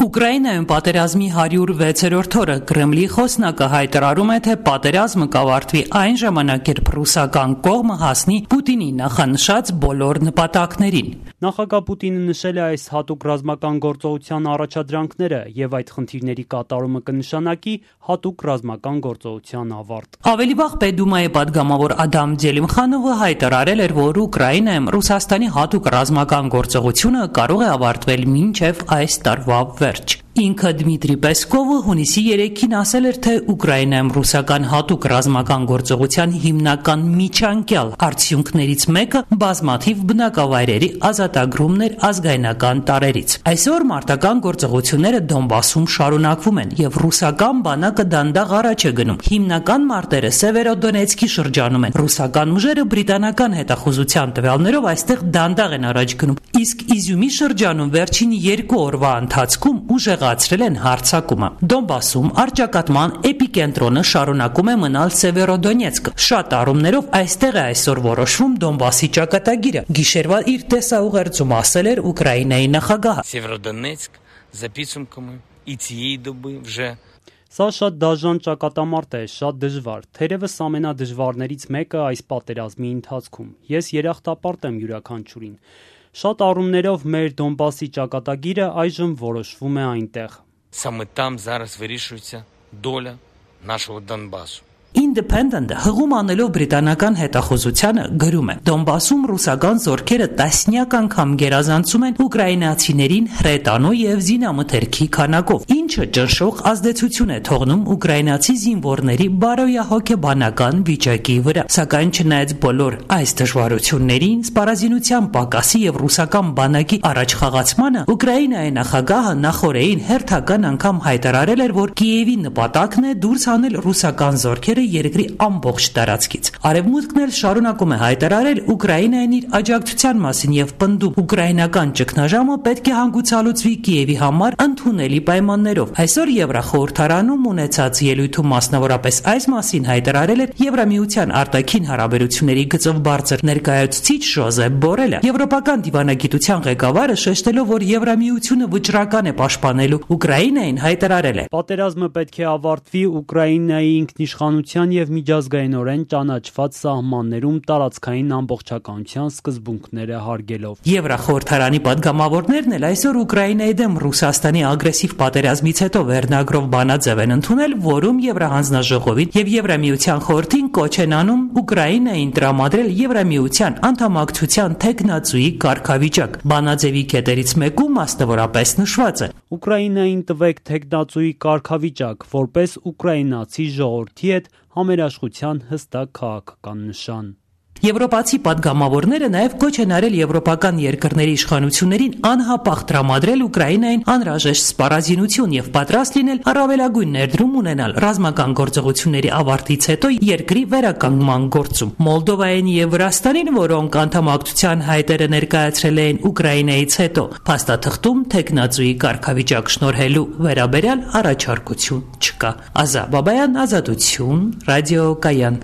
Ուկրաինայում պատերազմի 106-րդ օրը Կրեմլի խոսնակը հայտարարում է, թե պատերազմը կավարտվի այն ժամանակ, երբ ռուսական կողմը հասնի Պուտինի նախանշած բոլոր նպատակներին։ Նախագահ Պուտինը նշել է այս հատուկ ռազմական գործողության առաջադրանքները եւ այդ խնդիրների կատարումը կնշանակի հատուկ ռազմական գործողության ավարտ։ Ավելի վաղ Պետդումայի падգամավոր Ադամ Ձելիմխանովը հայտարարել էր, որ Ուկրաինայում Ռուսաստանի հատուկ ռազմական գործողությունը կարող է ավարտվել մինչև այս տարվա վերջ։ Ինքը Դմիտրի Պեսկովը հունիսի 3-ին ասել էր, թե Ուկրաինայում ռուսական հատուկ ռազմական գործողության հիմնական միջանկյալ արդյունքներից մեկը բազմաթիվ բնակավայրերի ազատագրումն էր ազգայնական տարրերից։ Այսօր մարտական գործողությունները Դոնբասում շարունակվում են եւ ռուսական բանակը դանդաղ առաջ է գնում։ Հիմնական մարտերը Սևերոդոնեցկի շրջանում են։ Ռուսական ուժերը բրիտանական հետախուզության տվյալներով այստեղ դանդաղ են առաջ գնում, իսկ Իզյումի շրջանում վերջին 2 օրվա ընթացքում ուժեղացրել են հարձակումը։ Դոնբասում առճակատման էպիկենտրոնը շարունակում է մնալ Սևերոդոնեցկը։ Շատ առումներով այստեղ է այսօր որոշվում Դոնբասի ճակատագիրը։ Գիշերվա իր տեսաուղերձում ասել էր Ուկրաինայի նախագահը։ Սևերոդոնեցկ за підсумками і цієї доби вже Սա շատ դաժան ճակատամարտ է, շատ դժվար, թերևս ամենադժվարներից մեկը այս պատերազմի ընթացքում։ Ես երախտապարտ եմ յուրաքանչյուրին։ Շատ առումներով մեր Դոնբասի ճակատագիրը այժմ որոշվում է այնտեղ։ Саме там зараз вирішується доля нашого Донбасу. Independent-ը հղում անելով բրիտանական հետախուզությանը գրում է. Դոնբասում ռուսական զորքերը տասնյակ անգամ գերազանցում են ուկրաինացիներին հրետանու եւ զինամթերքի քանակով, ինչը ճնշող ազդեցություն է թողնում ուկրաինացի զինվորների բարոյահոգեբանական վիճակի վրա։ Սակայն չնայած բոլոր այս դժվարություններին, սպառազինության պակասի եւ ռուսական բանակի առաջխաղացմանը, Ուկրաինայի նախագահը նախորդին հերթական անգամ հայտարարել էր, որ Կիևի նպատակն է դուրս հանել ռուսական զորքերը երկրի ամբողջ տարածքից։ Արևմուտքն էլ շարունակում է հայտարարել Ուկրաինային իր աջակցության մասին եւ պնդում ուկրաինական ճգնաժամը պետք է հանգուցալուծվի Կիևի համար ընդունելի պայմաններով։ Այսօր Եվրախորհրդարանում ունեցած ելույթում մասնավորապես այս մասին հայտարարել էր Եվրամիության արտաքին հարաբերությունների գծով բարձր ներկայացուցիչ Ժոզեփ Բորելը։ Եվրոպական դիվանագիտության ղեկավարը շեշտելով, որ Եվրամիությունը վճռական է պաշտպանելու Ուկրաինային, հայտարարել է. Պատերազմը պետք է ավարտվի Ուկրաինայի ինքնիշխանության եւ միջազգայինորեն ճանաչված սահմաններում տարածքային ամբողջականության սկզբունքները հարգելով։ Եվրախորհրդարանի падգամավորներն էլ այսօր Ուկրաինայի դեմ Ռուսաստանի ագրեսիվ պատերազմից հետո վերնագրով բանաձև են ընդունել, որում Եվրահանձնաժողովին եւ Եվրամիության խորհրդին կոչ են անում Ուկրաինային տրամադրել Եվրամիության անդամակցության թեկնածուի կարգավիճակ։ Բանաձևի կետերից մեկում մասնավորապես նշված է. Ուկրաինային տվեք թեկնածուի կարգավիճակ, որպես ուկրաինացի ժողովրդի հետ համերաշխության հստակ քաղաքական նշան։ Եվրոպացի падգամավորները նաև կոչ են արել եվրոպական երկրների իշխանություններին անհապաղ տրամադրել Ուկրաինային անհրաժեշտ սպառազինություն եւ պատրաստ լինել առավելագույն ներդրում ունենալ ռազմական գործողությունների ավարտից հետո երկրի վերականգնման գործում։ Մոլդովային եւ Վրաստանին, որոնք անդամակցության հայտերը ներկայացրել էին Ուկրաինայից հետո, փաստաթղթում թեկնածուի կարգավիճակ շնորհելու վերաբերյալ առաջարկություն չկա։ Ազա Բաբայան, Ազատություն, Ռադիո Կայան։